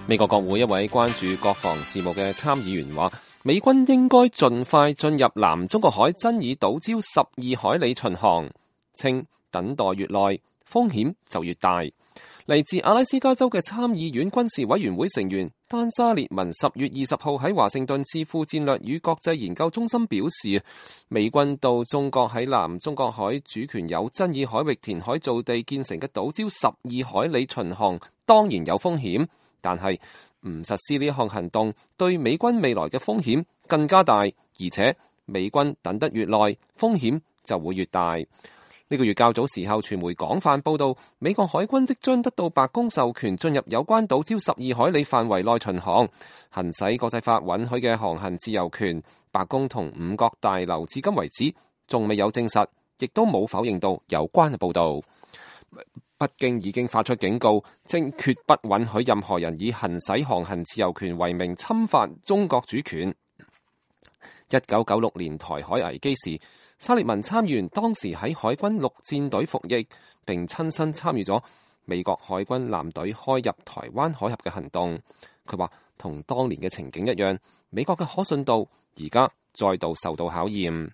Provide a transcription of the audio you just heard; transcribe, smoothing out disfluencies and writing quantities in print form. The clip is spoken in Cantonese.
美國國會一位關注國防事務嘅參議員話，美軍應該盡快進入南中國海爭議島礁12海里巡航，稱等待越耐，風險就越大。嚟自阿拉斯加州嘅參議院軍事委員會成員丹沙列文10月20號喺華盛頓智庫戰略與國際研究中心表示，美軍到中國喺南中國海主權有爭議海域填海造地建成嘅島礁12海里巡航當然有風險，但係唔實施呢項行動對美軍未來嘅風險更加大，而且美軍等得越耐，風險就會越大。呢個月較早時候，傳媒廣泛報道，美國海軍即將得到白宮授權進入有關島礁12海里範圍內巡航，行使國際法允許嘅航行自由權。白宮同五角大樓至今為止仲未有證實，亦都冇否認到有關嘅報道。北京已經發出警告，稱決不允許任何人以行使航行自由權為名侵犯中國主權。1996年台海危機時，沙列文參議員當時喺海軍陸戰隊服役，並親身參與咗美國海軍艦隊開入台灣海峽嘅行動。佢話同當年嘅情景一樣，美國嘅可信度而家再度受到考驗。